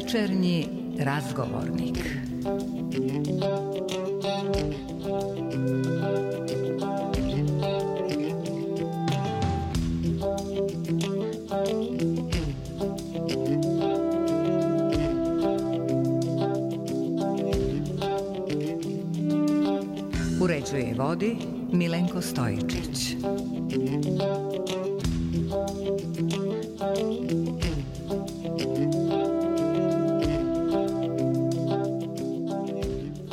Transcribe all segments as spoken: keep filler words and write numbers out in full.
Večernji razgovornik. Uređuje i vodi Milenko Stojičić.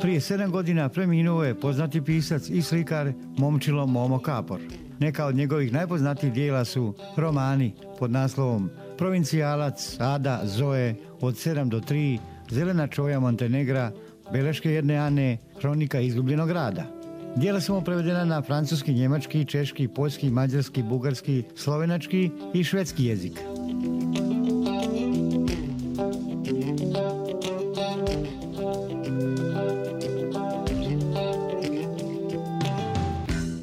Prije sedam godina preminuo je poznati pisac i slikar Momčilo Momo Kapor. Neka od njegovih najpoznatijih dijela su romani pod naslovom Provincijalac, Ada, Zoe, Od sedam do tri, Zelena čoja Montenegra, Beleške jedne Ane, Kronika izgubljenog grada. Dijela su mu prevedena na francuski, njemački, češki, poljski, mađarski, bugarski, slovenački i švedski jezik.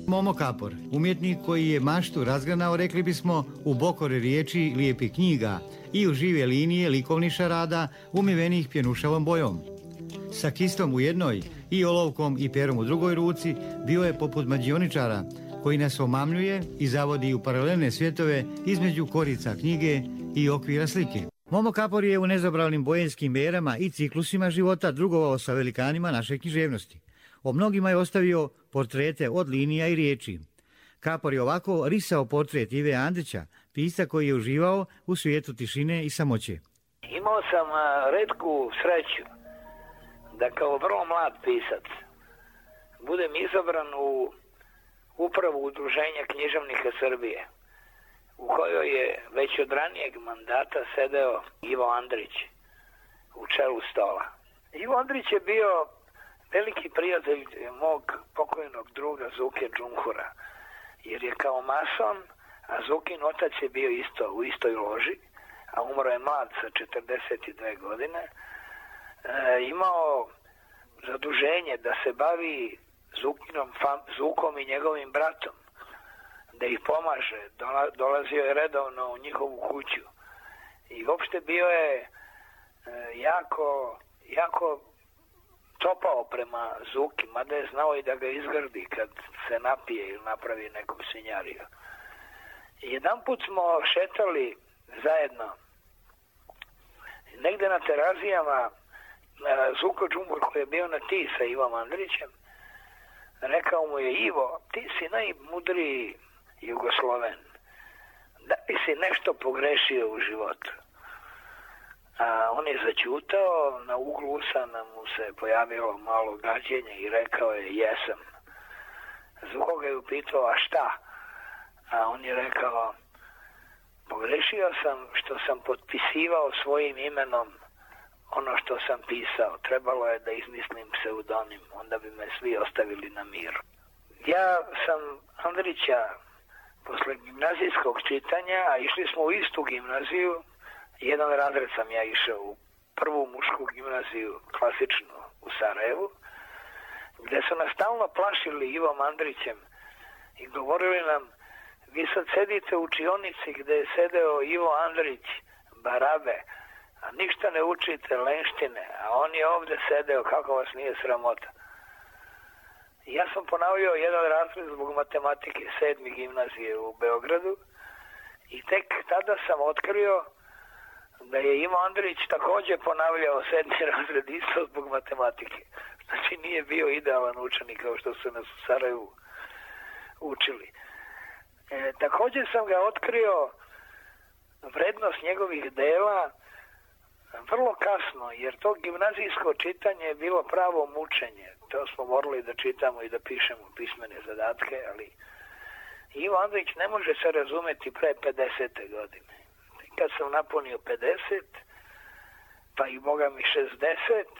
Momo Kapor, umjetnik koji je maštu razgranao, rekli bismo, u bokore riječi, lijepih knjiga i u žive linije likovnih šarada umivenih pjenušavom bojom. Sa kistom u jednoj i olovkom i perom u drugoj ruci bio je poput mađioničara koji nas omamljuje i zavodi u paralelne svjetove između korica knjige i okvira slike. Momo Kapor je u nezabranim bojenskim erama i ciklusima života drugovao sa velikanima naše književnosti. O mnogima je ostavio portrete od linija i riječi. Kapor je ovako risao portret Ive Andrića, pisca koji je uživao u svijetu tišine i samoće. Imao sam retku sreću da kao vrlo mlad pisac budem izabran u upravu Udruženja književnika Srbije, u kojoj je već od ranijeg mandata sedeo Ivo Andrić u čelu stola. Ivo Andrić je bio veliki prijatelj mog pokojnog druga Zuke Džumhura, jer je kao mason, a Zukin otac je bio isto u istoj loži, a umro je mlad sa četrdeset dve godine, e, imao zaduženje da se bavi Zukinom, fam, Zukom i njegovim bratom, da ih pomaže. Dola, dolazio je redovno u njihovu kuću i uopšte bio je e, jako, jako topao prema Zuki, mada je znao i da ga izgrdi kad se napije ili napravi nekom svinjariju. Jedan put smo šetali zajedno negde na terazijama. Zuko Džumbur koji je bio na ti sa Ivom Andrićem, rekao mu je: Ivo, ti si najmudriji Jugosloven, da li si nešto pogrešio u životu? A on je zaćutao, na uglu usana mu se pojavilo malo gađenja i rekao je: jesam. Zuko ga je upitao: a šta? A on je rekao: pogrešio sam što sam potpisivao svojim imenom ono što sam pisao. Trebalo je da izmislim pseudonim, onda bi me svi ostavili na miru. Ja sam Andrića posle gimnazijskog čitanja, a išli smo u istu gimnaziju, jedan razred sam ja išao u prvu mušku gimnaziju, klasičnu u Sarajevu, gde su nas stalno plašili Ivom Andrićem i govorili nam: vi sad sedite u učionici gde je sedeo Ivo Andrić, Barabe, a ništa ne učite, lenštine, a on je ovde sedeo, kako vas nije sramota. Ja sam ponavljao jedan razred zbog matematike sedmi gimnazije u Beogradu i tek tada sam otkrio da je Ivo Andrić također ponavljao sedmi razred isto zbog matematike. Znači nije bio idealan učenik kao što su nas u Sarajevu učili. E, također sam ga otkrio vrednost njegovih dela vrlo kasno, jer to gimnazijsko čitanje je bilo pravo mučenje. To smo morali da čitamo i da pišemo pismene zadatke, ali Ivo Andrić ne može se razumeti pre pedesete godine. Kad sam napunio pedeset, pa i boga mi šezdeset,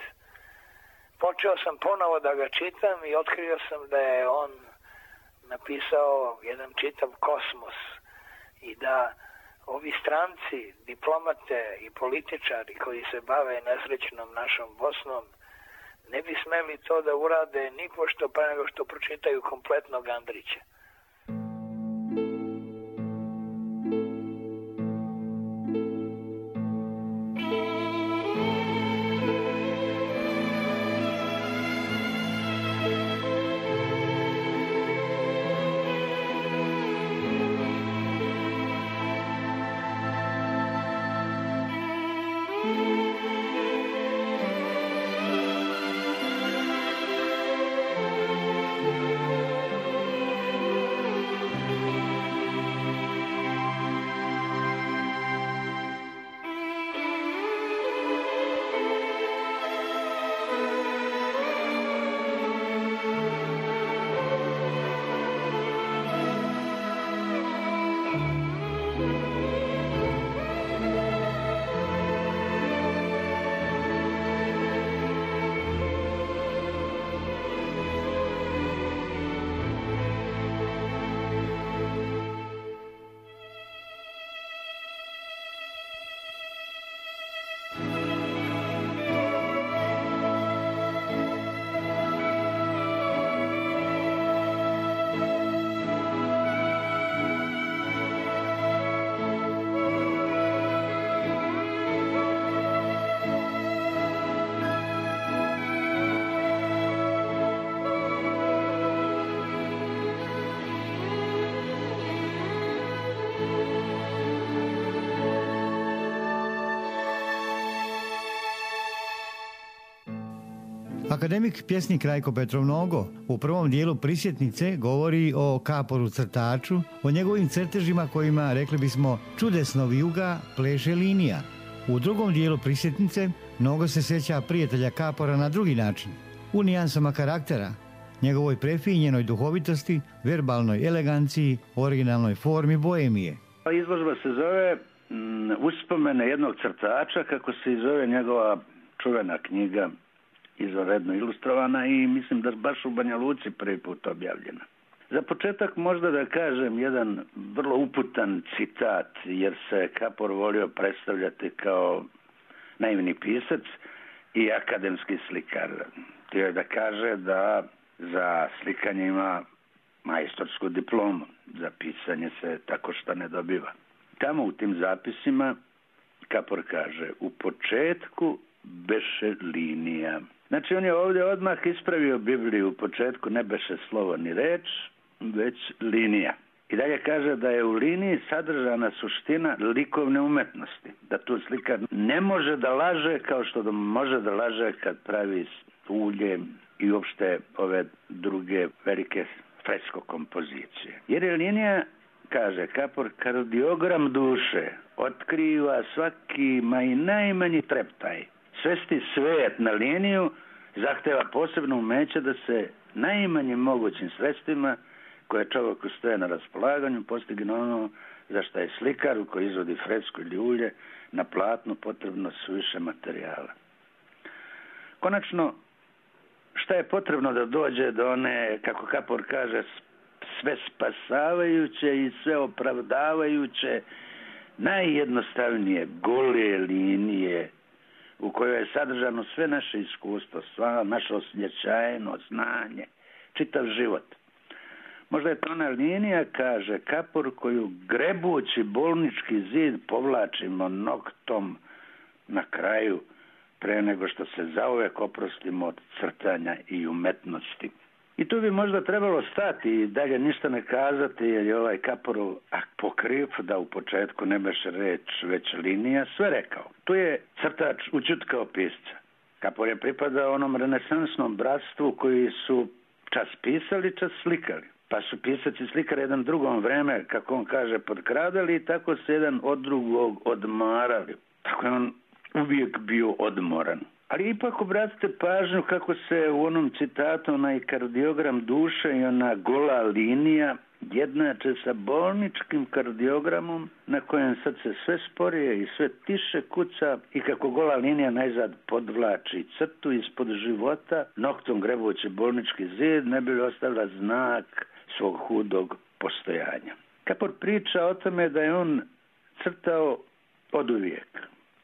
počeo sam ponovo da ga čitam i otkrio sam da je on napisao jedan čitav kosmos i da ovi stranci, diplomate i političari koji se bave nesrećnom našom Bosnom ne bi smeli to da urade nipošto pa nego što pročitaju kompletnog Andrića. Akademik pjesnik Rajko Petrov Nogo u prvom dijelu Prisjetnice govori o Kaporu crtaču, o njegovim crtežima kojima, rekli bismo, čudesno vijuga pleše linija. U drugom dijelu Prisjetnice Nogo se sjeća prijatelja Kapora na drugi način, u nijansama karaktera, njegovoj prefinjenoj duhovitosti, verbalnoj eleganciji, originalnoj formi boemije. Izložba se zove m, Uspomene jednog crtača, kako se i zove njegova čuvena knjiga, izvanredno ilustrovana i mislim da baš u Banja Luci prvi put objavljena. Za početak možda da kažem jedan vrlo uputan citat, jer se Kapor volio predstavljati kao naivni pisac i akademski slikar. Htio je da kaže da za slikanje ima majstorsku diplomu, za pisanje se tako što ne dobiva. Tamo u tim zapisima Kapor kaže: u početku beše linija. Znači on je ovdje odmah ispravio Bibliju, u početku ne beše slovo ni reč, već linija. I dalje kaže da je u liniji sadržana suština likovne umetnosti, da tu slikar ne može da laže kao što da može da laže kad pravi ulje i uopšte ove druge velike fresko kompozicije. Jer je linija, kaže Kapor, kardiogram duše, otkriva svaki ma i najmanji treptaj. Svesti svet na liniju zahteva posebno umeće da se najmanjim mogućim sredstvima koje čovjeku stoje na raspolaganju postigne ono za što je slikar koji izvodi fresku ili ulje na platnu potrebno suviše materijala. Konačno, šta je potrebno da dođe do one, kako Kapor kaže, sve spasavajuće i sve opravdavajuće, najjednostavnije gole linije u kojoj je sadržano sve naše iskustvo, sva naša osjećajno, znanje, čitav život. Možda je to ona linija, kaže Kapor, koju grebući bolnički zid povlačimo noktom na kraju, pre nego što se zauvek oprostimo od crtanja i umetnosti. I tu bi možda trebalo stati i dalje ništa ne kazati, jer je ovaj Kaporov apokrif, da u početku ne beše reč već linija, sve rekao. Tu je crtač učutkao pisca. Kapor je pripadao onom renesansnom bratstvu koji su čas pisali, čas slikali. Pa su pisac i slikar jedan drugom vreme, kako on kaže, podkradali i tako se jedan od drugog odmarali. Tako je on uvijek bio odmoran. Ali ipak obratite pažnju kako se u onom citatu onaj kardiogram duše i ona gola linija jednače sa bolničkim kardiogramom na kojem srce sve sporije i sve tiše kuca i kako gola linija najzad podvlači crtu ispod života, noktom grebući bolnički zid ne bi li ostavila znak svog hudog postojanja. Kapor priča o tome da je on crtao oduvijek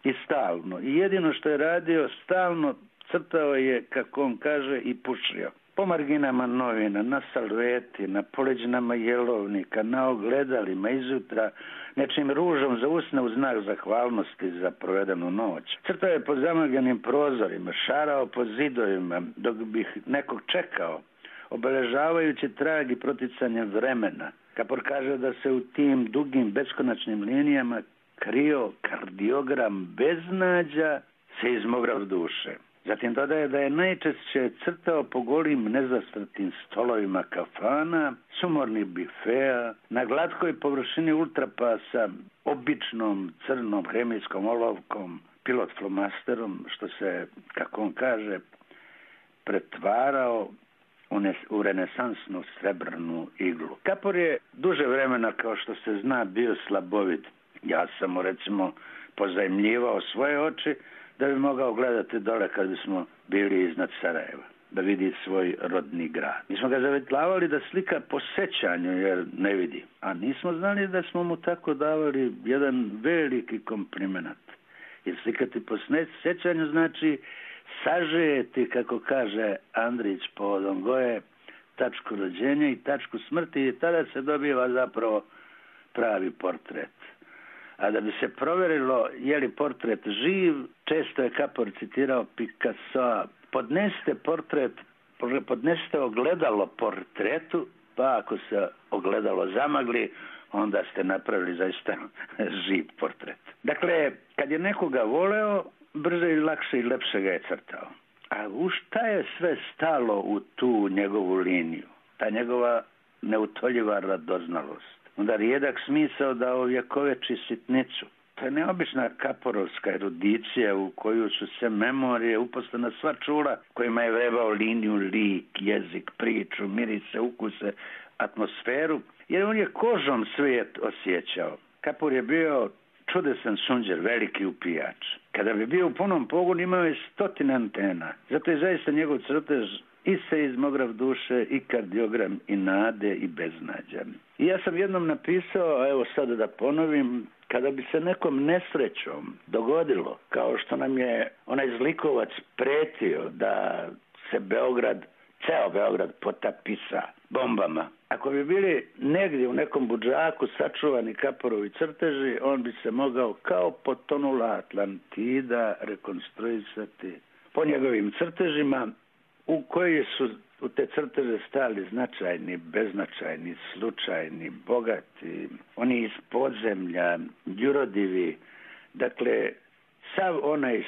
i stalno. I jedino što je radio, stalno crtao je, kako on kaže, i pušio. Po marginama novina, na salveti, na poleđinama jelovnika, na ogledalima, izutra, nečim ružom za usne u znak zahvalnosti za provedenu noć. Crtao je po zamaganim prozorima, šarao po zidovima, dok bih nekog čekao, obeležavajući trag i proticanje vremena. Kapor kaže da se u tim dugim beskonačnim linijama krio kardiogram beznađa se izmograo duše. Zatim dodaje da je najčešće crtao po golim nezastrtim stolovima kafana, sumornih bifea, na glatkoj površini ultrapasa, običnom crnom hemijskom olovkom, pilot flomasterom, što se, kako on kaže, pretvarao u renesansnu srebrnu iglu. Kapor je duže vremena, kao što se zna, bio slabovit. Ja sam mu, recimo, pozajmljivao svoje oči da bi mogao gledati dole kad bismo bili iznad Sarajeva, da vidi svoj rodni grad. Mi smo ga zavjetlavali da slika po sećanju, jer ne vidi. A nismo znali da smo mu tako davali jedan veliki komplimenat. Jer slikati po sećanju znači sažeti, kako kaže Andrić povodom Goje, tačku rođenja i tačku smrti i tada se dobiva zapravo pravi portret. A da bi se provjerilo je li portret živ, često je Kapor citirao Picassoa: podnesite portret, podnesite ogledalo portretu, pa ako se ogledalo zamagli, onda ste napravili zaista živ portret. Dakle, kad je nekoga voleo, brže i lakše i lepše ga je crtao. A u šta je sve stalo u tu njegovu liniju? Ta njegova neutoljiva radoznalost. Onda rijedak smisao da ovjekoveči sitnicu. To je neobična kaporovska erudicija u koju su se memorije uposlena sva čula kojima je vrebao liniju, lik, jezik, priču, mirise, ukuse, atmosferu, jer on je kožom svijet osjećao. Kapor je bio čudesan sunđer, veliki upijač. Kada bi bio u punom pogonu imao je stotine antena. Zato je zaista njegov crtež i seizmograf duše, i kardiogram, i nade, i beznađa. I ja sam jednom napisao, a evo sada da ponovim, kada bi se nekom nesrećom dogodilo, kao što nam je onaj zlikovac pretio da se Beograd, ceo Beograd potapisa bombama, ako bi bili negdje u nekom budžaku sačuvani Kaporovi crteži, on bi se mogao kao potonula Atlantida rekonstruisati po njegovim crtežima, u koji su u te crteže stali značajni, beznačajni, slučajni, bogati, oni iz podzemlja, jurodivi, dakle, sav onaj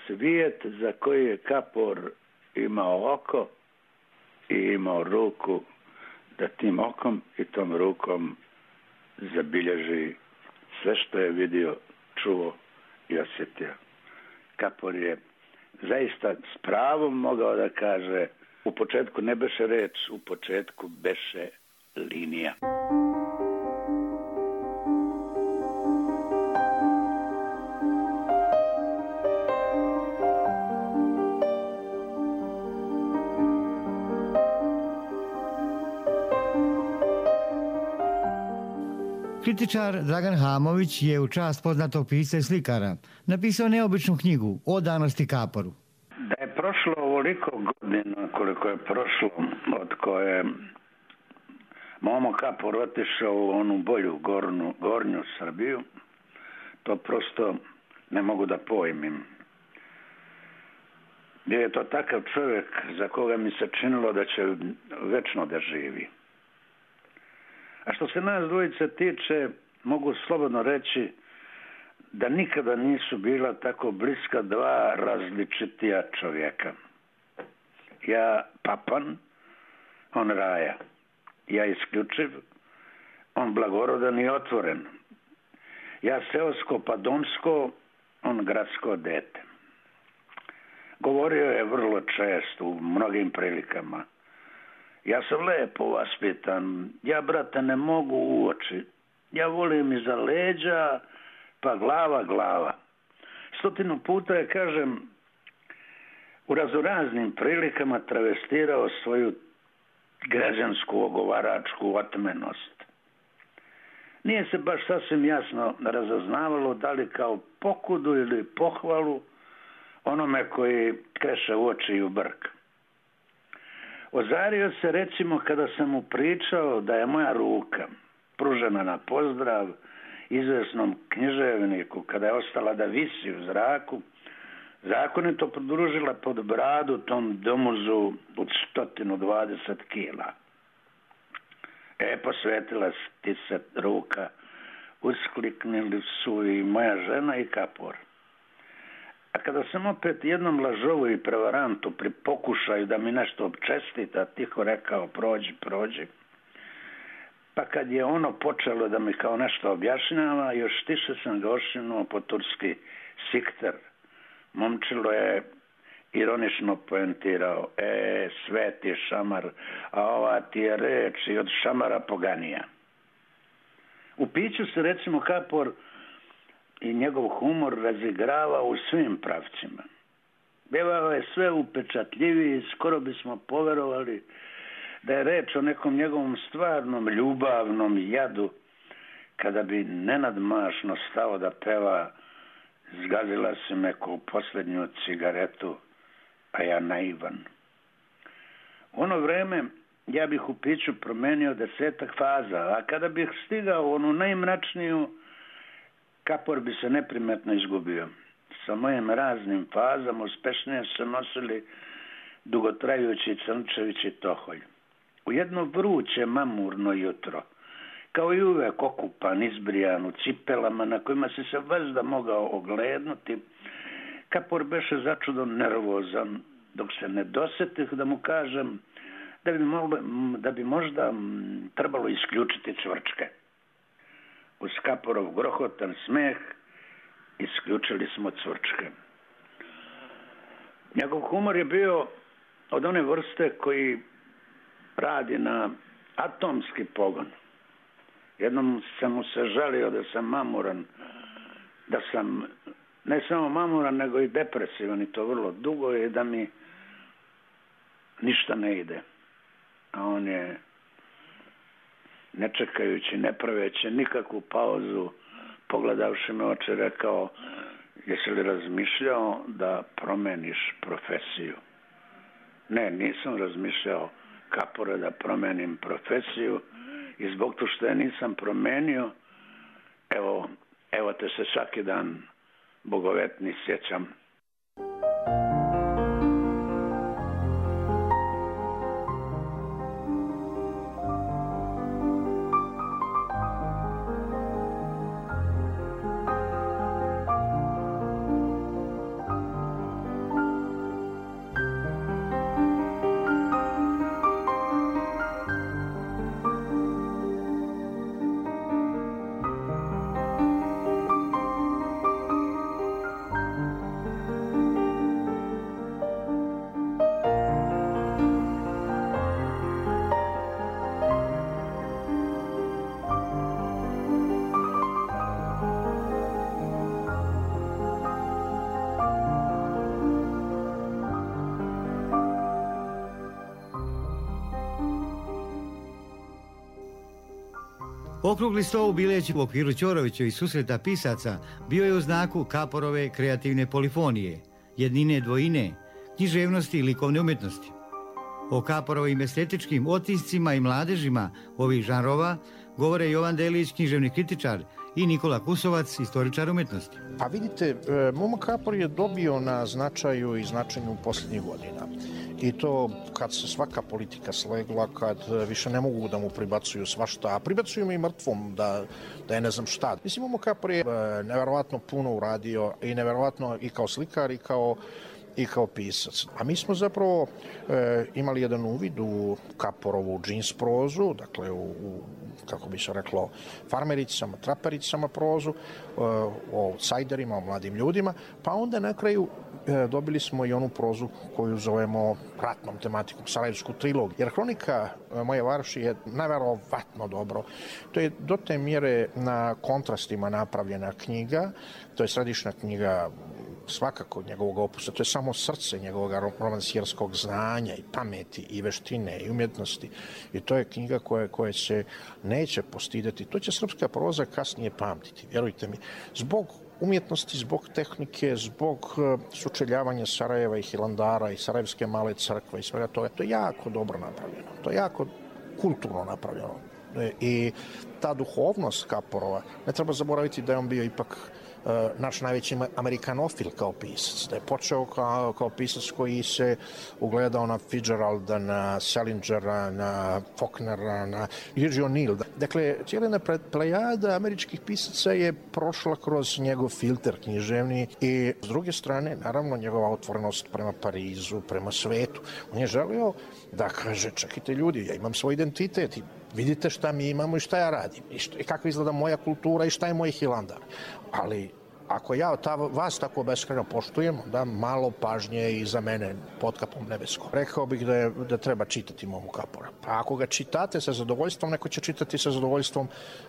svijet za koji je Kapor imao oko i imao ruku, da tim okom i tom rukom zabilježi sve što je vidio, čuo i osjetio. Kapor je zaista s pravom mogao da kaže: u početku ne beše reč, u početku beše linija. Kritičar Dragan Hamović je u čast poznatog pisca i slikara napisao neobičnu knjigu o danosti Kaporu. Da je prošlo ovoliko godina koliko je prošlo od koje Momo Kapor otišao u onu bolju gornu, gornju Srbiju, to prosto ne mogu da pojmim. Bio je to takav čovjek za koga mi se činilo da će večno da živi. A što se nas dvojice tiče, mogu slobodno reći da nikada nisu bila tako bliska dva različitija čovjeka. Ja papan, on raja. Ja isključiv, on blagorodan i otvoren. Ja seosko pa domsko, on gradsko dete. Govorio je vrlo često u mnogim prilikama: ja sam lepo vaspitan, ja, brate, ne mogu u oči, ja volim iza leđa, pa glava, glava. Stotinu puta je, kažem, u razoraznim prilikama travestirao svoju građansku ogovaračku otmenost. Nije se baš sasvim jasno razaznavalo da li kao pokudu ili pohvalu onome koji kreše u oči i u brk. Ozario se, recimo, kada sam mu pričao da je moja ruka pružena na pozdrav izvesnom književniku, kada je ostala da visi u zraku, zakonito podružila pod bradu tom domuzu od sto dvadeset kila. E, posvetila ti se ruka, uskliknili su i moja žena i Kapor. A kada sam opet jednom lažovu i prevarantu pri pokušaju da mi nešto občestita tiho rekao: prođi, prođi, pa kad je ono počelo da mi kao nešto objašnjava, još tiše sam ga ošinuo po turski: sikter. Momčilo je ironično poentirao: e, sveti šamar, a ova ti je reč i od šamara poganija. U piću se, recimo, Kapor i njegov humor razigrava u svim pravcima. Bivao je sve upečatljiviji, skoro bismo poverovali da je reč o nekom njegovom stvarnom ljubavnom jadu, kada bi nenadmašno stao da peva: zgazila si me ko posljednju cigaretu, a ja naivan. U ono vreme ja bih u piću promenio desetak faza, a kada bih stigao u onu najmračniju, Kapor bi se neprimetno izgubio. Sa mojim raznim fazama uspešnije se nosili dugotrajući Crnčević i Toholj. U jedno vruće mamurno jutro, kao i uvek okupan, izbrijan u cipelama na kojima si se vazda mogao oglednuti, Kapor beše začudo nervozan, dok se ne dosetih da mu kažem da bi, mogli, da bi možda trebalo isključiti cvrčke. Uz Kaporov grohotan smeh isključili smo cvrčke. Njegov humor je bio od one vrste koji radi na atomski pogon. Jednom sam mu se žalio da sam mamuran, da sam ne samo mamuran, nego i depresivan, i to vrlo dugo, i da mi ništa ne ide. A on je, ne čekajući, ne praveći nikakvu pauzu, pogledavši me oči, rekao: jesi li razmišljao da promeniš profesiju? Ne, nisam razmišljao, Kapore, da promenim profesiju, i zbog to što je nisam promenio, evo, evo te se svaki dan bogovetni sjećam. Okrugli sto u Bileći u okviru Ćorovićevih susreta pisaca bio je u znaku Kaporove kreativne polifonije, jednine dvojine, književnosti i likovne umjetnosti. O Kaporovim estetičkim otiscima i mladežima ovih žanrova govore Jovan Delić, književni kritičar, i Nikola Kusovac, istoričar umjetnosti. Pa vidite, Momo Kapor je dobio na značaju i značenju posljednjih godina. I to kad se svaka politika slegla, kad više ne mogu da mu pribacuju svašta, a pribacuju mu i mrtvom da, da je ne znam šta. Mislim, Momo Kapor je neverovatno puno uradio, i neverovatno i kao slikar i kao i kao pisac. A mi smo zapravo e, imali jedan uvid u Kaporovu džins prozu, dakle u, u kako bi se reklo, farmericama, trapericama prozu, e, o outsiderima, o mladim ljudima, pa onda na kraju e, dobili smo i onu prozu koju zovemo ratnom tematikom, Sarajevsku trilogiju. Jer Hronika e, moje varoši je neverovatno dobro. To je do te mjere na kontrastima napravljena knjiga, to je središnja knjiga svakako njegovog opusa, to je samo srce njegovog romansijerskog znanja i pameti i veštine i umjetnosti. I to je knjiga koja, koja se neće postideti. To će srpska proza kasnije pamtiti, vjerujte mi. Zbog umjetnosti, zbog tehnike, zbog sučeljavanja Sarajeva i Hilandara i Sarajevske male crkve i svega toga. To je jako dobro napravljeno. To je jako kulturno napravljeno. I ta duhovnost Kaporova, ne treba zaboraviti da je on bio ipak naš najveći amerikanofil kao pisac, da je počeo kao, kao pisac koji se ugledao na Fitzgeralda, na Salingera, na Faulknera, na Virgil O'Neill. Dakle, cijela plejada američkih pisaca je prošla kroz njegov filter književni i s druge strane, naravno, njegova otvorenost prema Parizu, prema svetu. On je želio da kaže, čekajte ljudi, ja imam svoj identitet i vidite šta mi imamo i šta ja radim i, šta, i kako izgleda moja kultura i šta je moj Hilandar. Ali ako ja ta, vas tako beskrajno poštujem, da malo pažnje i za mene pod kapom nebeskom. Rekao bih da, je, da treba čitati Momu Kapora. Pa ako ga čitate sa zadovoljstvom, neko će čitati sa zadovoljstvom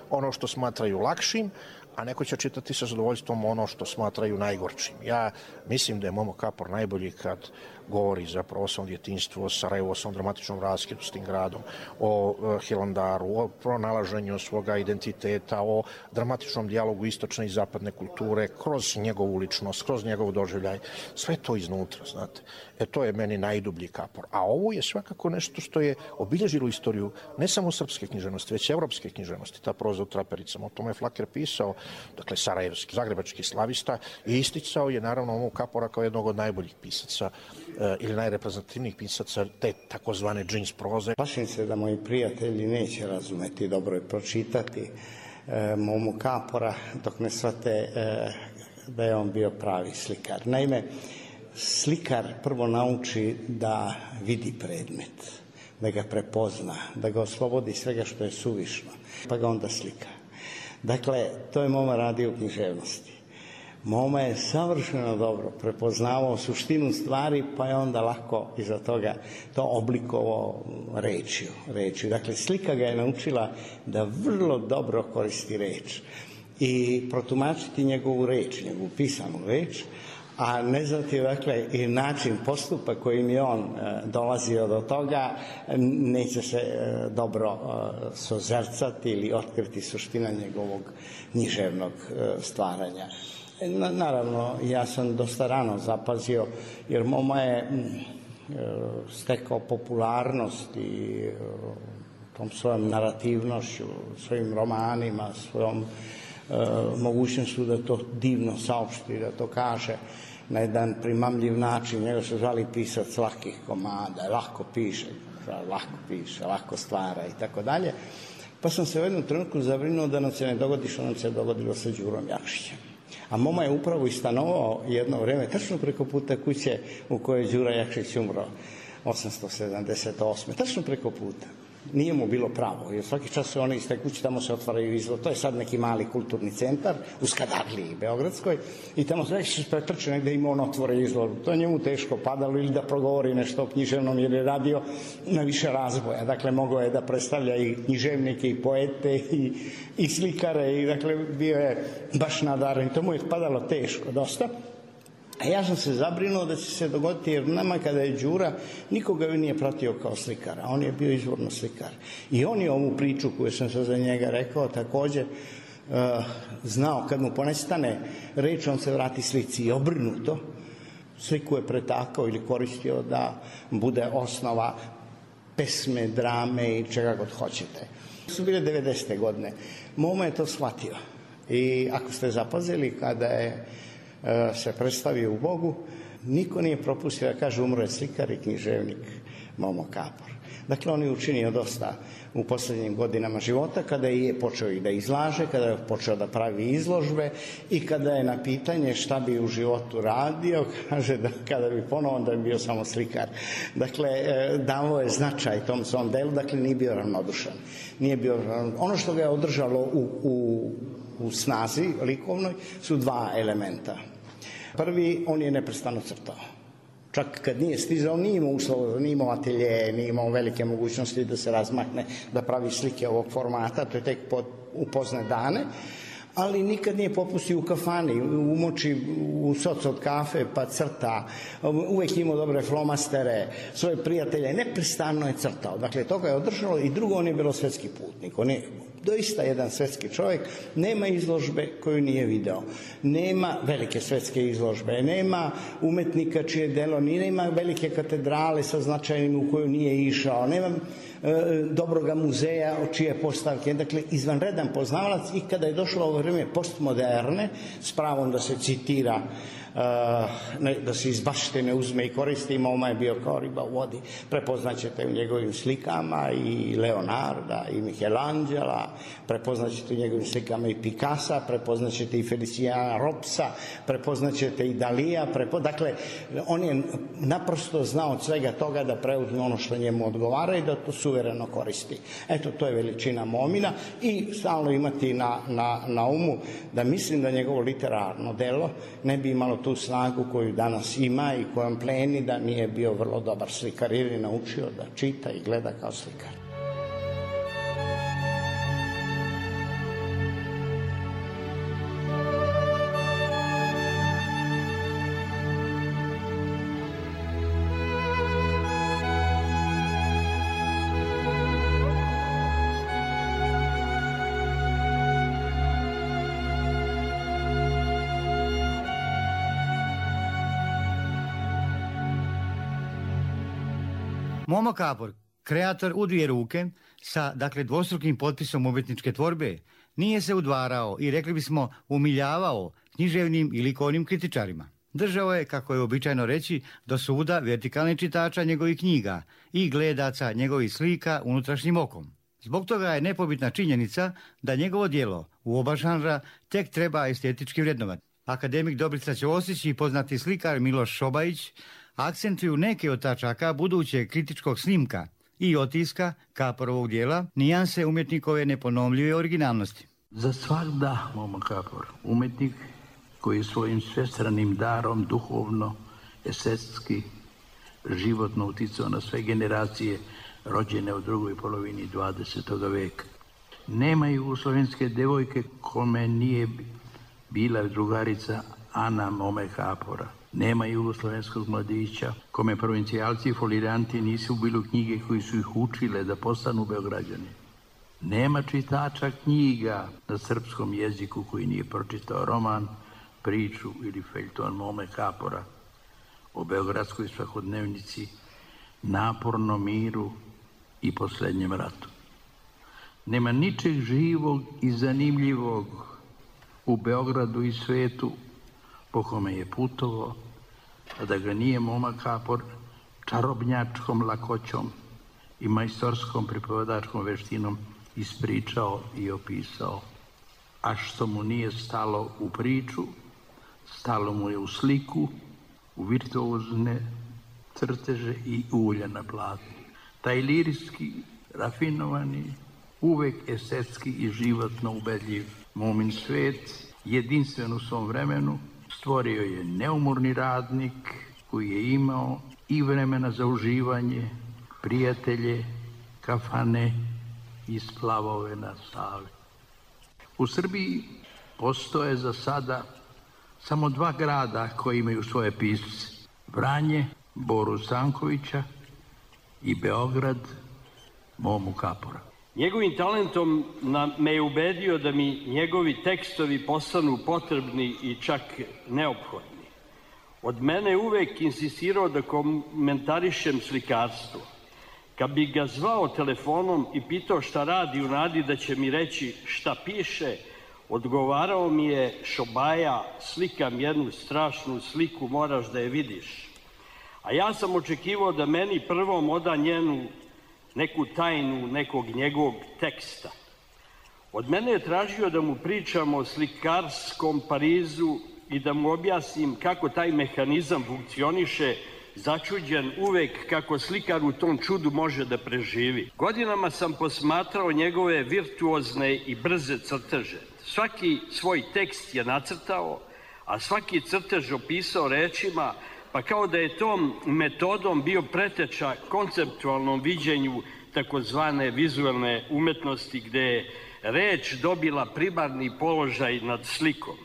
ono što smatraju lakšim, a neko će čitati sa zadovoljstvom ono što smatraju najgorčim. Ja mislim da je Momo Kapor najbolji kad govori zapravo o svom djetinjstvu, o Sarajevu, o svom dramatičnom raskidu s tim gradom, o Hilandaru, o pronalaženju svoga identiteta, o dramatičnom dijalogu istočne i zapadne kulture, kroz njegovu ličnost, kroz njegov doživljaj. Sve to iznutra, znate. E to je meni najdublji Kapor. A ovo je svakako nešto što je obilježilo istoriju ne samo srpske književnosti, već evropske književnosti, ta proza u trapericama. O tome je Flaker pisao, dakle sarajevski, zagrebački slavista, i isticao je naravno Momu Kapora kao jednog od najboljih pisaca eh, ili najreprezentativnijih pisaca te takozvane džins proze. Plašim se da moji prijatelji neće razumeti, dobro je pročitati eh, Momu Kapora dok ne shvate eh, da je on bio pravi slikar. Naime, slikar prvo nauči da vidi predmet, da ga prepozna, da ga oslobodi svega što je suvišno, pa ga onda slika. Dakle, to je Moma radio u književnosti. Moma je savršeno dobro prepoznavao suštinu stvari, pa je onda lako iza toga to oblikovao rečju. rečju. Dakle, slika ga je naučila da vrlo dobro koristi reč i protumačiti njegovu reč, njegovu pisanu reč, a ne znati, dakle, i način postupa kojim je on e, dolazio do toga, neće se e, dobro e, sozercati ili otkriti suština njegovog književnog e, stvaranja. Na, naravno, ja sam dosta rano zapazio, jer Moma je m, e, stekao popularnost i e, tom svojom narativnošću, svojim romanima, svojom e, mogućnošću da to divno saopšti, da to kaže na jedan primamljiv način. Njega su zvali pisac lakih komada, lako piše, lako piše, lako stvara i tako dalje. Pa sam se u jednom trenutku zabrinuo da nam se ne dogodi što nam se dogodilo sa Đurom Jakšićem. A Moma je upravo i stanovao jedno vreme, tačno preko puta kuće u kojoj je Đura Jakšić umro osamsto sedamdeset osme. Tačno preko puta. Nije mu bilo pravo, jer svaki čas su one iz te kuće, tamo se otvaraju izlog. To je sad neki mali kulturni centar u Skadavliji, Beogradskoj, i tamo se već pretrče negde ima on otvore izlog. To je njemu teško padalo ili da progovori nešto o književnom, jer je radio na više razvoja. Dakle, mogao je da predstavlja i književnike, i poete, i, i slikare, i dakle, bio je baš nadaren. To mu je padalo teško, dosta. A ja sam se zabrinuo da će se dogoditi, jer nama kada je Đura, nikoga ju nije pratio kao slikara, on je bio izvorno slikar. I on je ovu priču koju sam sad za njega rekao također uh, znao, kad mu ponestane reč, on se vrati slici i obrnuto. Sliku je pretakao ili koristio da bude osnova pesme, drame i čega god hoćete. To su bile devedesete godine. Moma je to shvatio. I ako ste zapazili, kada je se predstavio u Bogu, niko nije propustio da kaže umro je slikar i književnik Momo Kapor. Dakle, on je učinio dosta u posljednjim godinama života, kada je počeo i da izlaže, kada je počeo da pravi izložbe i kada je na pitanje šta bi u životu radio, kaže da kada bi ponovo, da bi bio samo slikar. Dakle, dao je značaj tom svom delu, dakle nije bio ravnodušan. Nije bio ravnodušan. Ono što ga je održalo u, u, u snazi likovnoj su dva elementa. Prvi, on je neprestano crtao. Čak kad nije stizao, nije imao uslova, nije imao atelje, nije imao velike mogućnosti da se razmakne, da pravi slike ovog formata, to je tek pod, u pozne dane, ali nikad nije popustio u kafani, umoči u soc od kafe pa crta, uvek imao dobre flomastere, svoje prijatelje, neprestano je crtao. Dakle, to ga je održalo. I drugo, on je bilo svetski putnik, on je doista jedan svetski čovjek, nema izložbe koju nije video, nema velike svetske izložbe, nema umetnika čije delo, nema velike katedrale sa značajnim u koju nije išao, nema e, dobroga muzeja od čije postavke, dakle izvanredan poznavalac. I kada je došlo ovo vrijeme postmoderne, s pravom da se citira, Uh, ne, da se iz baštine uzme i koristi, Moma je bio kao riba u vodi. Prepoznaćete u njegovim slikama i Leonarda i Michelangela, prepoznaćete u njegovim slikama i Picassa, prepoznaćete i Feliciana Robsa, prepoznaćete i Dalija, prepo... dakle on je naprosto znao od svega toga da preuzme ono što njemu odgovara i da to suvereno koristi. Eto, to je veličina Momina. I stalno imati na, na, na umu da mislim da njegovo literarno delo ne bi imalo tu snagu koju danas ima i kojom pleni da nije bio vrlo dobar slikar, jer je naučio da čita i gleda kao slikar. Momo Kapor, kreator u dvije ruke, sa dakle dvostrukim potpisom umjetničke tvorbe, nije se udvarao i rekli bismo umiljavao književnim i likovnim kritičarima. Držao je, kako je običajno reći, do suda vertikalnih čitača njegovih knjiga i gledaca njegovih slika unutrašnjim okom. Zbog toga je nepobitna činjenica da njegovo djelo u oba žanra tek treba estetički vrednovati. Akademik Dobrica Ćosić i poznati slikar Miloš Šobajić akcentuju neke od tačaka budućeg kritičkog snimka i otiska Kaporovog dijela, nijanse umjetnikove neponovljive originalnosti. Za svakda Momo Kapor, umjetnik koji je svojim svestranim darom duhovno, estetski, životno uticao na sve generacije rođene u drugoj polovini dvadesetog veka. Nema jugoslovenske devojke kome nije bila drugarica Ana Mome Kapora. Nema jugoslovenskog mladića kome provincijalci i foliranti nisu bili u knjige koji su ih učile da postanu Beograđani. Nema čitača knjiga na srpskom jeziku koji nije pročitao roman, priču ili feljton Mome Kapora o beogradskoj svakodnevnici, napornom miru i posljednjem ratu. Nema ničeg živog i zanimljivog u Beogradu i svetu po kome je putovao, a da ga nije Moma Kapor čarobnjačkom lakoćom i majstorskom pripovjedačkom veštinom ispričao i opisao. A što mu nije stalo u priču, stalo mu je u sliku, u virtuozne crteže i ulja na platnu. Taj lirijski, rafinovani, uvek estetski i životno ubedljiv Momin svet, jedinstven u svom vremenu, stvorio je neumorni radnik koji je imao i vremena za uživanje, prijatelje, kafane i splavove na Savi. U Srbiji postoje za sada samo dva grada koji imaju svoje pisce. Vranje, Boru Stankovića i Beograd, Momu Kapora. Njegovim talentom me je ubedio da mi njegovi tekstovi postanu potrebni i čak neophodni. Od mene je uvek insistirao da komentarišem slikarstvo. Kad bi ga zvao telefonom i pitao šta radi u nadi da će mi reći šta piše, odgovarao mi je: Šobaja, slikam jednu strašnu sliku, moraš da je vidiš. A ja sam očekivao da meni prvom oda njenu neku tajnu nekog njegovog teksta. Od mene je tražio da mu pričam o slikarskom Parizu i da mu objasnim kako taj mehanizam funkcioniše, začuđen uvek kako slikar u tom čudu može da preživi. Godinama sam posmatrao njegove virtuozne i brze crteže. Svaki svoj tekst je nacrtao, a svaki crtež opisao rečima, pa kao da je tom metodom bio preteča konceptualnom viđenju takozvane vizualne umetnosti, gde je reč dobila primarni položaj nad slikom.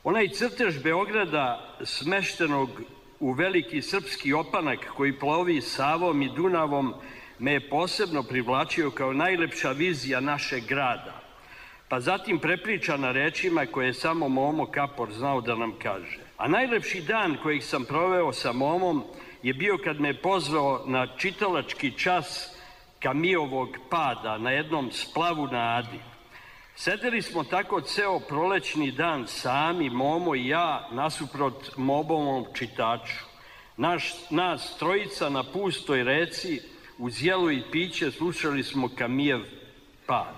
Onaj crtež Beograda smeštenog u veliki srpski opanak koji plovi Savom i Dunavom me je posebno privlačio kao najlepša vizija našeg grada, pa zatim prepričana rečima koje je samo Momo Kapor znao da nam kaže. A najlepši dan kojeg sam proveo sa Momom je bio kad me je pozvao na čitalački čas Kamijovog pada na jednom splavu na Adi. Sedeli smo tako ceo prolećni dan sami, Momo i ja, nasuprot Momovom čitaču. Naš, nas trojica na pustoj reci, uz jelo i piće, slušali smo Kamijev pad.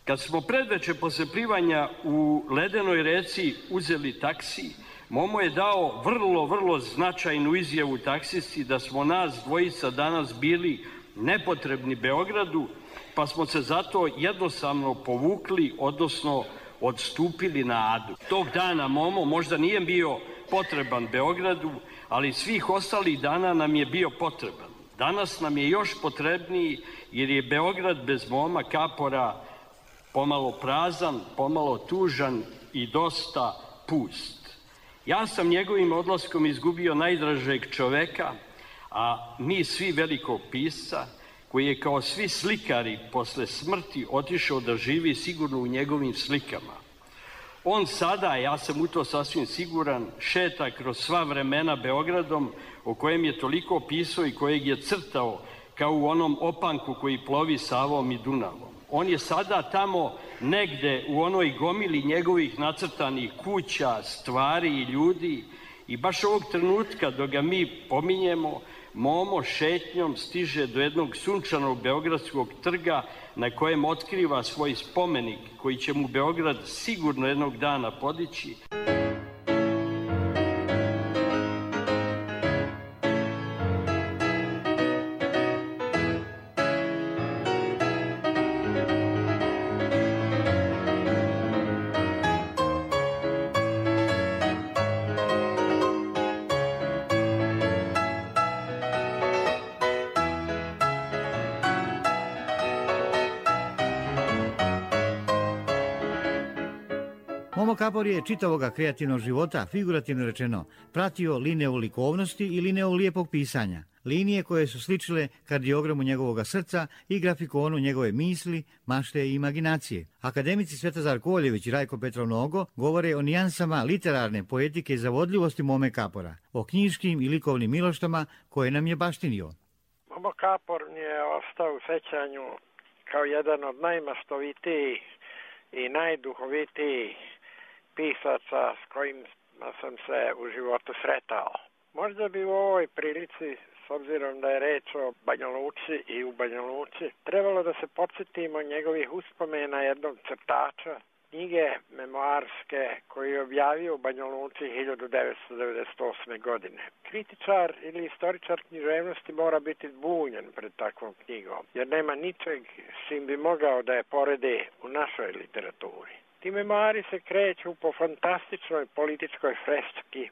Kad smo predveče posle plivanja u ledenoj reci uzeli taksi, Momo je dao vrlo, vrlo značajnu izjavu taksisti da smo nas dvojica danas bili nepotrebni Beogradu, pa smo se zato jednostavno povukli, odnosno odstupili na Adu. Tog dana Momo možda nije bio potreban Beogradu, ali svih ostalih dana nam je bio potreban. Danas nam je još potrebniji jer je Beograd bez Moma Kapora pomalo prazan, pomalo tužan i dosta pust. Ja sam njegovim odlaskom izgubio najdražeg čoveka, a mi svi velikog pisca, koji je kao svi slikari posle smrti otišao da živi sigurno u njegovim slikama. On sada, ja sam u to sasvim siguran, šeta kroz sva vremena Beogradom o kojem je toliko pisao i kojeg je crtao kao u onom opanku koji plovi Savom i Dunavom. On je sada tamo negde u onoj gomili njegovih nacrtanih kuća, stvari i ljudi i baš ovog trenutka dok ga mi pominjemo, Momo šetnjom stiže do jednog sunčanog beogradskog trga na kojem otkriva svoj spomenik koji će mu Beograd sigurno jednog dana podići. Momo Kapor je čitavoga kreativnog života, figurativno rečeno, pratio liniju likovnosti i liniju lijepog pisanja. Linije koje su sličile kardiogramu njegovog srca i grafikonu njegove misli, mašte i imaginacije. Akademici Svetozar Koljević i Rajko Petrov Nogo govore o nijansama literarne poetike i zavodljivosti Mome Kapora, o knjiškim i likovnim miloštama koje nam je baštinio. Momo Kapor mi je ostao u sećanju kao jedan od najmaštovitijih i najduhovitijih pisaca s kojim sam se u životu sretao. Možda bi u ovoj prilici, s obzirom da je reč o Banja Luci i u Banja Luci, trebalo da se podsjetimo njegovih uspomena jednog crtača, knjige memoarske koju je objavio u Banja Luci hiljadu devetsto devedeset osme. godine. Kritičar ili istoričar književnosti mora biti zbunjen pred takvom knjigom, jer nema ničeg s čim bi mogao da je poredi u našoj literaturi. Ti memoari se kreću po fantastičnoj političkoj freski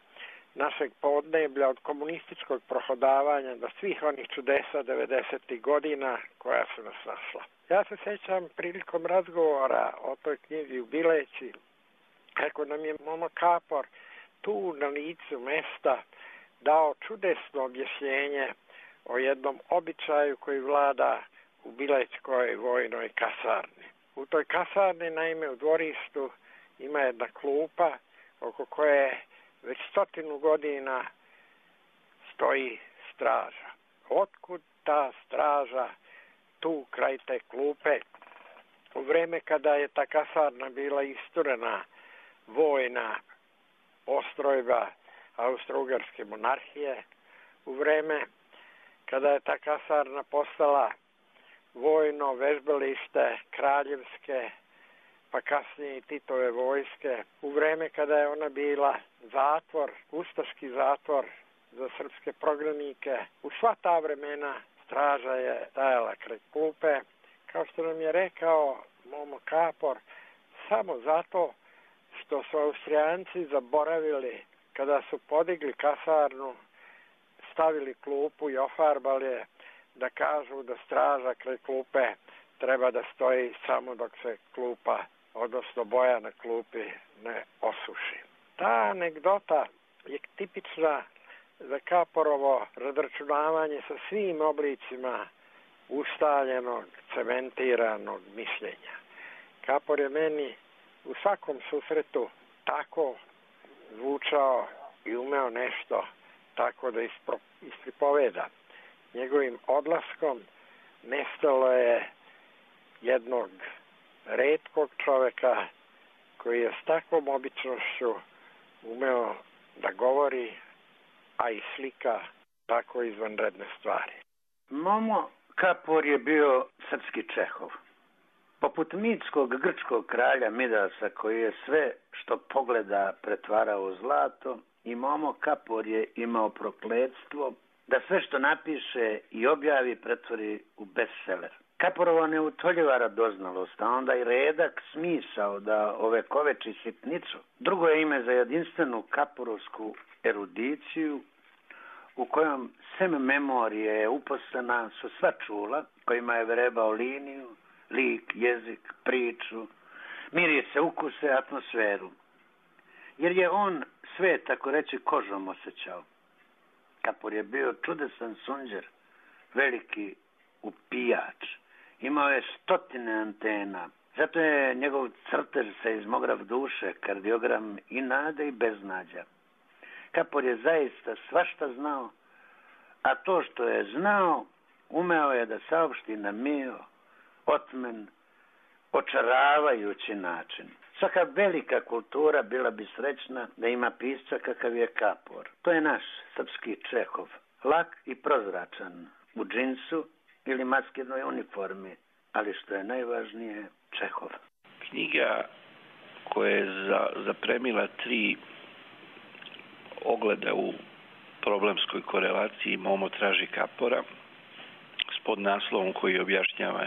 našeg podneblja od komunističkog prohodavanja do svih onih čudesa devedesetih godina koja su nas našla. Ja se sećam prilikom razgovora o toj knjizi u Bileći, kako nam je Momo Kapor tu na licu mesta dao čudesno objašnjenje o jednom običaju koji vlada u Bilećkoj vojnoj kasarni. U toj kasarni, naime, u dvorištu ima jedna klupa oko koje već stotinu godina stoji straža. Otkud ta straža tu kraj te klupe? U vreme kada je ta kasarna bila isturena vojna postrojba Austro-Ugarske monarhije, u vreme kada je ta kasarna postala vojno vežbalište kraljevske, pa kasnije i Titove vojske, u vreme kada je ona bila zatvor, ustaški zatvor za srpske prognanike, u sva ta vremena straža je stajala kraj klupe, kao što nam je rekao Momo Kapor, samo zato što su Austrijanci zaboravili kada su podigli kasarnu, stavili klupu i ofarbali je, da kažu da straža kraj klupe treba da stoji samo dok se klupa, odnosno boja na klupi, ne osuši. Ta anegdota je tipična za Kaporovo razračunavanje sa svim oblicima ustaljenog, cementiranog mišljenja. Kapor je meni u svakom susretu tako zvučao i umeo nešto tako da ispro, ispripoveda. Njegovim odlaskom nestalo je jednog retkog čoveka koji je s takvom običnošću umeo da govori, a i slika tako izvanredne stvari. Momo Kapor je bio srpski Čehov. Poput mitskog grčkog kralja Midasa, koji je sve što pogleda pretvarao u zlato, i Momo Kapor je imao prokletstvo da sve što napiše i objavi pretvori u bestseller. Kaporova neutoljiva radoznalost, a onda i redak smisao da ovekoveči sitnicu. Drugo je ime za jedinstvenu kaporovsku erudiciju, u kojom sem memorije je uposlena su sva čula, kojima je vrebao liniju, lik, jezik, priču, mirise, ukuse, atmosferu. Jer je on sve, tako reći, kožom osjećao. Kapor je bio čudesan sunđer, veliki upijač. Imao je stotine antena. Zato je njegov crtež seizmograf duše, kardiogram i nade i beznađa. Kapor je zaista svašta znao, a to što je znao, umeo je da saopšti na mio, otmen, očaravajući način. Svaka velika kultura bila bi srećna da ima pisca kakav je Kapor. To je naš srpski Čehov, lak i prozračan, u džinsu ili maskirnoj uniformi, ali što je najvažnije, Čehov. Knjiga koja je za, zapremila tri ogleda u problemskoj korelaciji Momo traži Kapora s podnaslovom koji objašnjava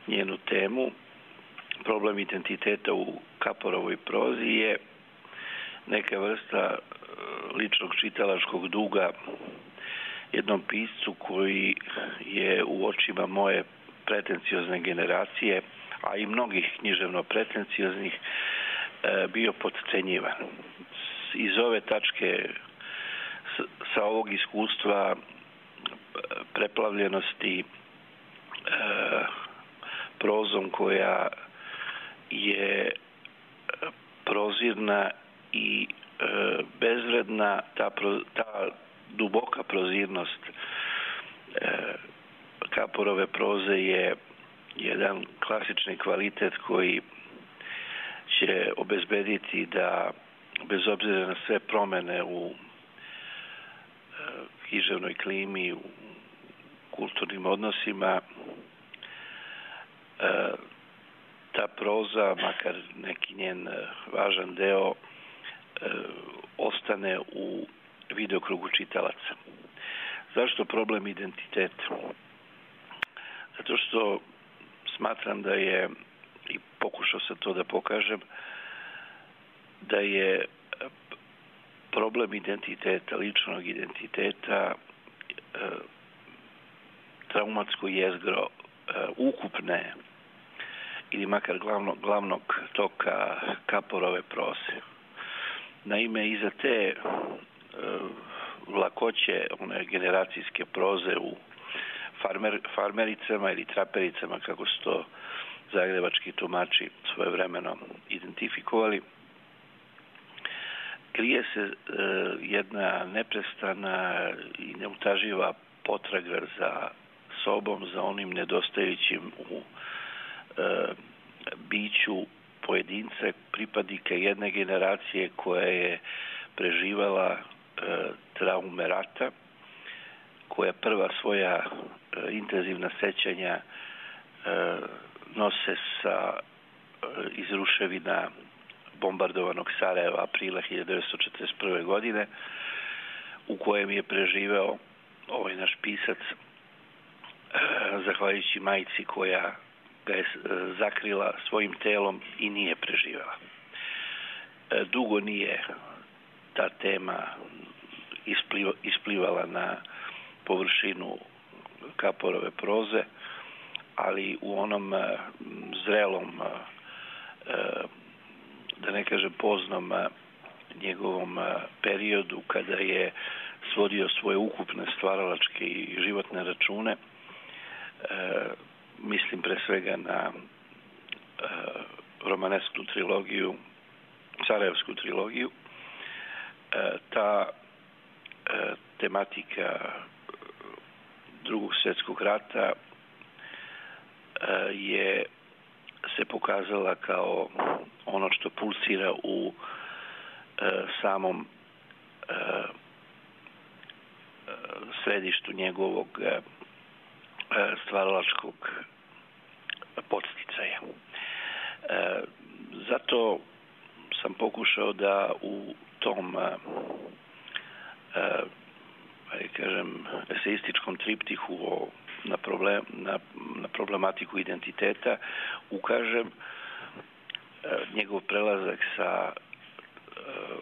njenu temu. Problem identiteta u Kaporovoj prozi je neka vrsta ličnog čitalačkog duga jednom piscu koji je u očima moje pretenciozne generacije, a i mnogih književno pretencioznih, bio potcenjivan. Iz ove tačke, sa ovog iskustva preplavljenosti prozom koja je prozirna i bezvredna, ta, ta duboka prozirnost Kaporove proze je jedan klasični kvalitet koji će obezbediti da, bez obzira na sve promene u književnoj klimi, u kulturnim odnosima, ta proza, makar neki njen važan deo, ostane u videokrugu čitalaca. Zašto problem identiteta? Zato što smatram da je, i pokušao sam to da pokažem, da je problem identiteta, ličnog identiteta, traumatsko jezgro ukupne ili makar glavnog, glavnog toka Kaporove proze. Naime, iza te lakoće one generacijske proze u farmer, farmericama ili trapericama, kako su to zagrebački tumači svojevremeno identifikovali, krije se e, jedna neprestana i neutaživa potraga za sobom, za onim nedostajućim u e, biću pojedinca, pripadnika jedne generacije koja je preživala e, traume rata, koja prva svoja e, intenzivna sećanja e, nose sa e, iz ruševina bombardovanog Sarajeva aprila hiljadu devetsto četrdeset prve. godine, u kojem je preživeo ovaj naš pisac e, zahvaljujući majici koja ga je zakrila svojim telom i nije preživela. E, dugo nije ta tema ispliva, isplivala na površinu Kaporove proze, ali u onom e, zrelom, e, da ne kažem poznom, e, njegovom e, periodu, kada je svodio svoje ukupne stvaralačke i životne račune, e, mislim pre svega na e, romanesku trilogiju, Sarajevsku trilogiju, e, ta e, tematika Drugog svjetskog rata e, je se pokazala kao ono što pulsira u e, samom e, središtu njegovog e, stvaralačkog podsticaja. E, zato sam pokušao da u tom e, e, kažem, eseističkom triptihu o, na, problem, na, na problematiku identiteta ukažem e, njegov prelazak sa e,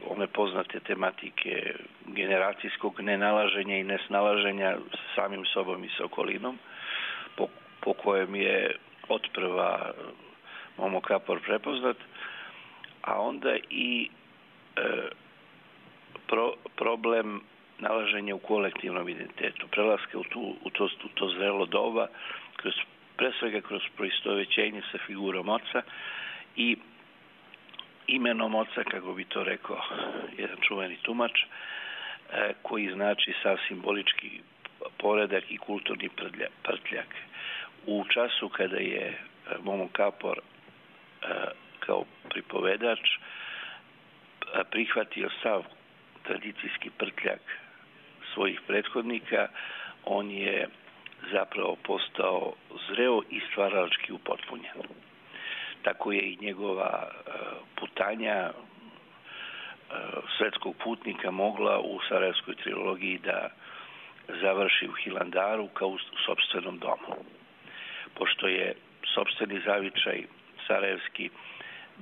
one poznate tematike generacijskog nenalaženja i nesnalaženja samim sobom i sa okolinom, po, po kojem je otprva Momo Kapor prepoznat, a onda i e, pro, problem nalaženja u kolektivnom identitetu, prelaska u, tu, u, to, u to zrelo doba, kroz, pre svega kroz proistovećenje sa figurom oca i imenom oca, kako bi to rekao jedan čuveni tumač, e, koji znači sav simbolički poredak i kulturni prtljak. U času kada je Momo Kapor e, kao pripovedač prihvatio sav tradicijski prtljak svojih prethodnika, on je zapravo postao zreo i stvaralački upotpunjen. Tako je i njegova putanja svetskog putnika mogla u Sarajevskoj trilogiji da završi u Hilandaru kao u sopstvenom domu. Pošto je sopstveni zavičaj sarajevski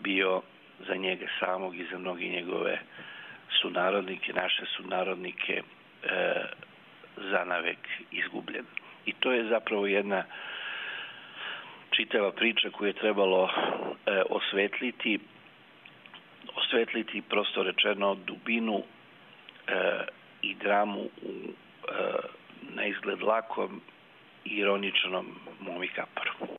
bio za njega samog i za mnogi njegove sunarodnike, naše sunarodnike, e, zanavek izgubljen. I to je zapravo jedna čitava priča koju je trebalo e, osvetliti, osvetliti prosto rečeno dubinu e, i dramu u e, na izgled lakom i ironičnom Momi Kaporu.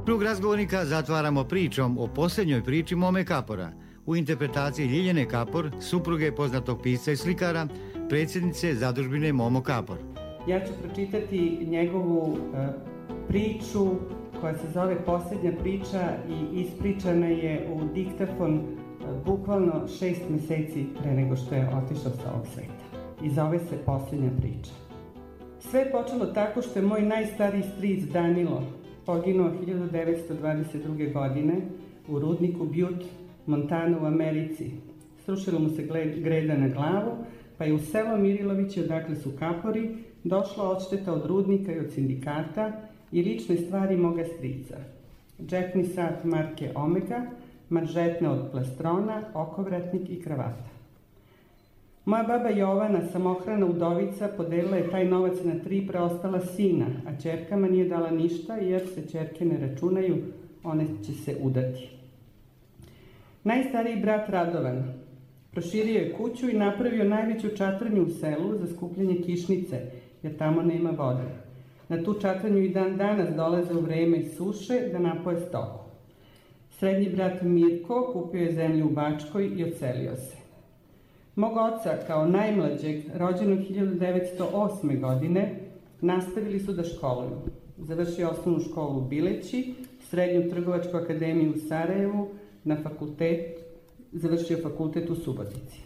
Krug razgovornika zatvaramo pričom o posljednjoj priči Mome Kapora u interpretaciji Ljiljane Kapor, supruge poznatog pisca i slikara, predsjednice zadužbine Momo Kapor. Ja ću pročitati njegovu uh, priču koja se zove Posljednja priča i ispričana je u diktafon uh, bukvalno šest meseci pre nego što je otišao sa ovog sveta. I zove se Posljednja priča. Sve je počelo tako što je moj najstariji stric Danilo poginuo hiljadu devetsto dvadeset druge. godine u rudniku Butte, Montana u Americi. Srušilo mu se greda na glavu, pa je u selo Mirilovići, odakle su Kapori, došla odšteta od rudnika i od sindikata i lične stvari moga strica. Džepni sat marke Omega, manžetne od plastrona, okovratnik i kravata. Moja baba Jovana, samohrana udovica, podelila je taj novac na tri preostala sina, a ćerkama nije dala ništa jer se ćerke ne računaju, one će se udati. Najstariji brat Radovan proširio je kuću i napravio najveću čatrnju u selu za skupljanje kišnice, jer tamo nema vode. Na tu čatranju i dan danas dolaze u vreme suše da napoje stoku. Srednji brat Mirko kupio je zemlju u Bačkoj i odselio se. Mog oca, kao najmlađeg, rođenog hiljadu devetsto osme. godine, nastavili su da školuju. Završio osnovnu školu u Bileći, srednju trgovačku akademiju u Sarajevu, na fakultet, završio fakultet u Subotici.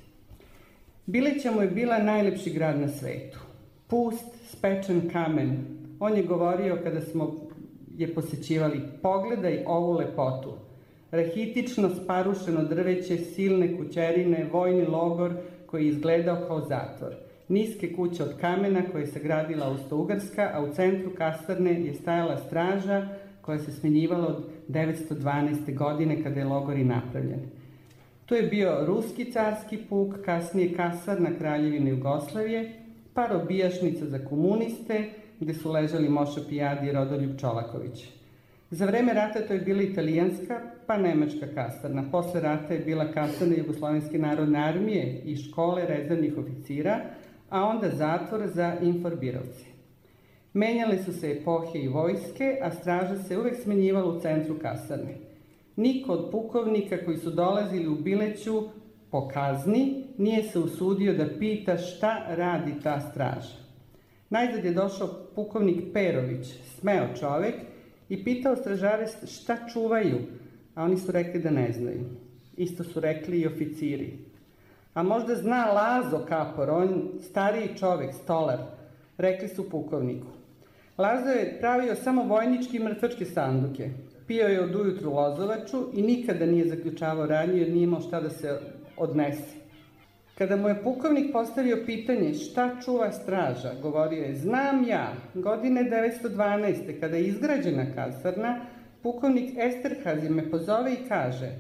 Bileća mu je bila najlepši grad na svetu. Pust, spečen kamen. On je govorio kada smo je posećivali: pogledaj ovu lepotu. Rahitično sparušeno drveće, silne kućerine, vojni logor koji je izgledao kao zatvor. Niske kuće od kamena koje je sagradila Austro-Ugarska, a u centru kasarne je stajala straža koja se smenjivala od devetsto dvanaeste. godine kada je logor i napravljen. Tu je bio ruski carski puk, kasnije kasarna Kraljevine Jugoslavije, pa robijašnica za komuniste, gde su ležali Moša Pijadi i Rodoljub Čolaković. Za vreme rata to je bila italijanska, pa nemačka kasarna. Posle rata je bila kasarna Jugoslovenske narodne armije i škole rezervnih oficira, a onda zatvor za inforbirovce. Menjale su se epohe i vojske, a straža se uvek smenjivala u centru kasarne. Niko od pukovnika koji su dolazili u Bileću po kazni nije se usudio da pita šta radi ta straža. Najzad je došao pukovnik Perović, smeo čovek, i pitao stražare šta čuvaju, a oni su rekli da ne znaju. Isto su rekli i oficiri. A možda zna Lazo Kapor, on stariji čovek, stolar, rekli su pukovniku. Lazo je pravio samo vojničke i mrtvačke sanduke. Pio je od ujutru lozovaču i nikada nije zaključavao radnju jer nije imao šta da se odnese. Kada mu je pukovnik postavio pitanje šta čuva straža, govorio je, znam ja, godine devetsto dvanaeste. kada je izgrađena kasarna, pukovnik Esterhazy me pozove i kaže,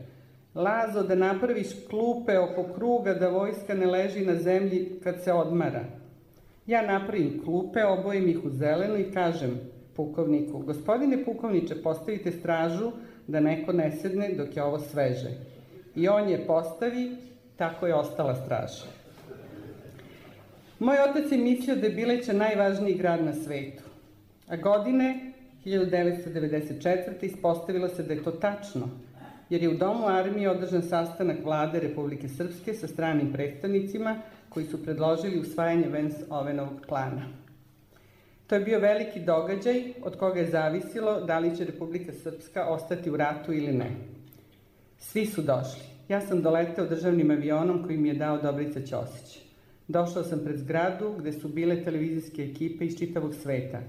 Lazo, da napraviš klupe oko kruga da vojska ne leži na zemlji kad se odmara. Ja napravim klupe, obojim ih u zelenu i kažem pukovniku, gospodine pukovniče, postavite stražu da neko ne sedne dok je ovo sveže. I on je postavi, tako je ostala straža. Moj otac je mislio da je Bileća najvažniji grad na svetu. A godine hiljadu devetsto devedeset četvrte. ispostavilo se da je to tačno, jer je u Domu armije održan sastanak vlade Republike Srpske sa stranim predstavnicima koji su predložili usvajanje Vens-Ovenovog plana. To je bio veliki događaj od koga je zavisilo da li će Republika Srpska ostati u ratu ili ne. Svi su došli. Ja sam doleteo državnim avionom koji mi je dao Dobrica Ćosić. Došao sam pred zgradu gde su bile televizijske ekipe iz čitavog sveta.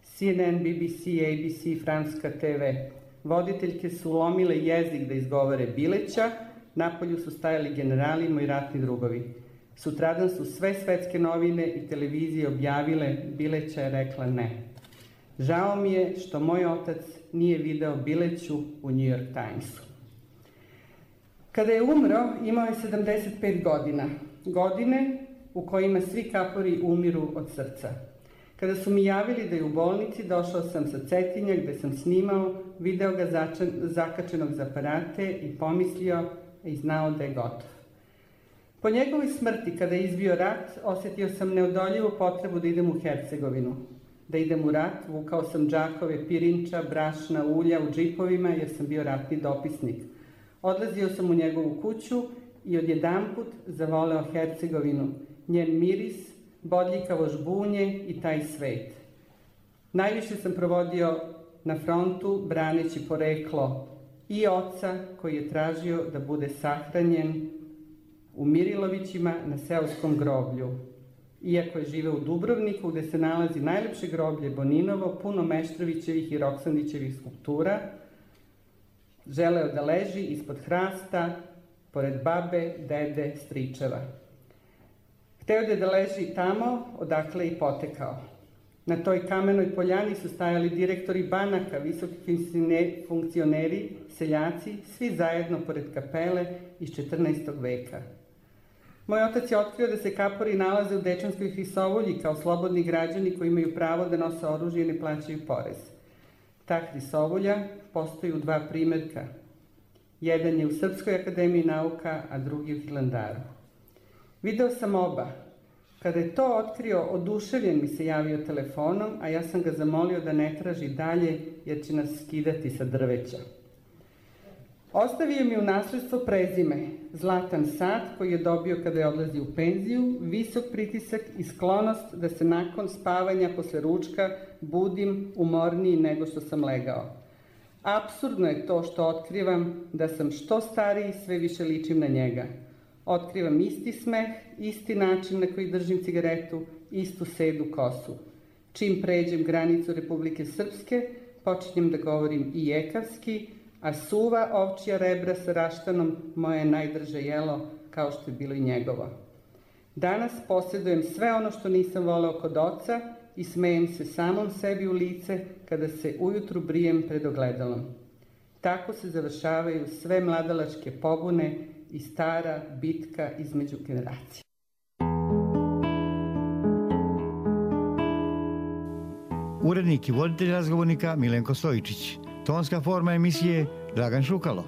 C N N, B B C, A B C, Francuska T V. Voditeljke su lomile jezik da izgovore Bileća, napolju su stajali generali, moji ratni drugovi. Sutradan su sve svetske novine i televizije objavile Bileća je rekla ne. Žao mi je što moj otac nije video Bileću u New York Timesu. Kada je umro, imao je sedamdeset pet godina. Godine u kojima svi kapori umiru od srca. Kada su mi javili da je u bolnici, došao sam sa Cetinja gde sam snimao, video ga začan, zakačenog za aparate i pomislio i znao da je gotov. Po njegovoj smrti, kada je izbio rat, osetio sam neodoljivu potrebu da idem u Hercegovinu. Da idem u rat, vukao sam džakove pirinča, brašna, ulja u džipovima jer sam bio ratni dopisnik. Odlazio sam u njegovu kuću i odjedanput zavoleo Hercegovinu, njen miris, bodljikavo žbunje i taj svet. Najviše sam provodio na frontu braneći poreklo i oca koji je tražio da bude sahranjen u Mirilovićima na seoskom groblju. Iako je živeo u Dubrovniku gde se nalazi najlepše groblje Boninovo, puno Meštrovićevih i Roksandićevih skulptura, želeo da leži ispod hrasta, pored babe, dede, stričeva. Hteo je da leži tamo, odakle i potekao. Na toj kamenoj poljani su stajali direktori banaka, visoki funkcioneri, seljaci, svi zajedno pored kapele iz četrnaestog veka. Moj otac je otkrio da se kapori nalaze u Dečanskoj hrisovolji kao slobodni građani koji imaju pravo da nose oružje i ne plaćaju porez. Ta hrisovolja postoji u dva primerka. Jedan je u Srpskoj akademiji nauka, a drugi u Hilandaru. Video sam oba. Kada je to otkrio, oduševljen mi se javio telefonom, a ja sam ga zamolio da ne traži dalje, jer će nas skidati sa drveća. Ostavio mi u nasledstvo prezime, zlatan sat koji je dobio kada je odlazio u penziju, visok pritisak i sklonost da se nakon spavanja posle ručka budim umorniji nego što sam legao. Apsurdno je to što otkrivam da sam što stariji sve više ličim na njega. Otkrivam isti smeh, isti način na koji držim cigaretu, istu sedu kosu. Čim pređem granicu Republike Srpske, počinjem da govorim i jekavski, a suva ovčija rebra sa raštanom moje je najdrže jelo, kao što je bilo i njegovo. Danas posjedujem sve ono što nisam voleo kod oca i smejem se samom sebi u lice kada se ujutru brijem pred ogledalom. Tako se završavaju sve mladalačke pobune i stara bitka između generacija. Urednik i voditelj razgovornika Milenko Stojičić. Tonska forma emisije Dragan Šukalo.